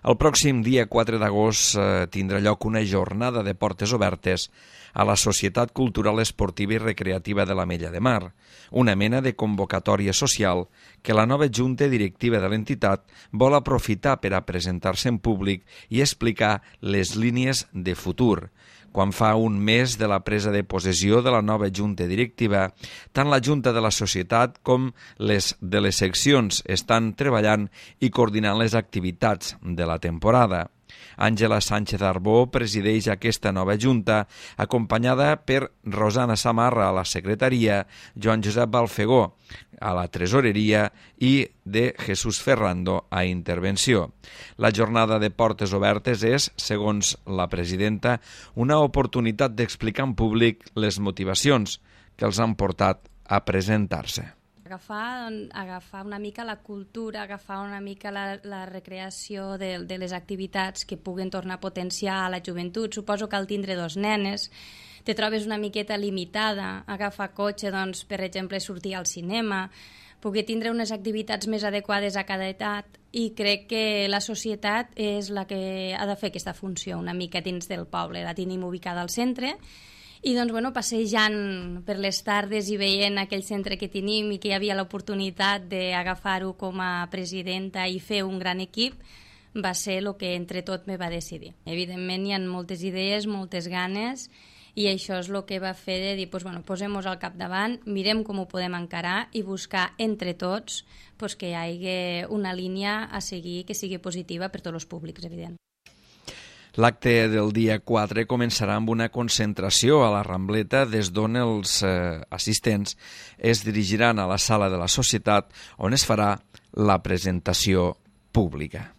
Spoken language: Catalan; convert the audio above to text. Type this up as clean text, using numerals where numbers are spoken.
El pròxim dia 4 d'agost tindrà lloc una jornada de portes obertes a la Societat Cultural Esportiva i Recreativa de l'Ametlla de Mar, una mena de convocatòria social que la nova junta directiva de l'entitat vol aprofitar per a presentar-se en públic i explicar les línies de futur. Quan fa un mes de la presa de possessió de la nova junta directiva, tant la junta de la societat com les de les seccions estan treballant i coordinant les activitats de la temporada. Àngela Sánchez Arbó presideix aquesta nova junta, acompanyada per Rosana Samarra a la secretaria, Joan Josep Balfegó a la tresoreria i de Jesús Ferrando a intervenció. La jornada de portes obertes és, segons la presidenta, una oportunitat d'explicar en públic les motivacions que els han portat a presentar-se. Agafar una mica la cultura, agafar una mica la recreació de les activitats que puguen tornar a potenciar la joventut. Suposo que al tindre dos nenes te trobes una miqueta limitada, agafar cotxe, doncs, per exemple, sortir al cinema, poder tindre unes activitats més adequades a cada edat, i crec que la societat és la que ha de fer aquesta funció una mica dins del poble. La tenim ubicada al centre, i doncs, passejant per les tardes i veient aquell centre que tenim i que hi havia l'oportunitat d'agafar-ho com a presidenta i fer un gran equip, va ser el que entre tot me va decidir. Evidentment hi ha moltes idees, moltes ganes, i això és el que va fer de dir, posem-nos al capdavant, mirem com ho podem encarar i buscar entre tots que hi hagi una línia a seguir que sigui positiva per tots els públics, evident. L'acte del dia 4 començarà amb una concentració a la Rambleta, des d'on els assistents es dirigiran a la sala de la societat, on es farà la presentació pública.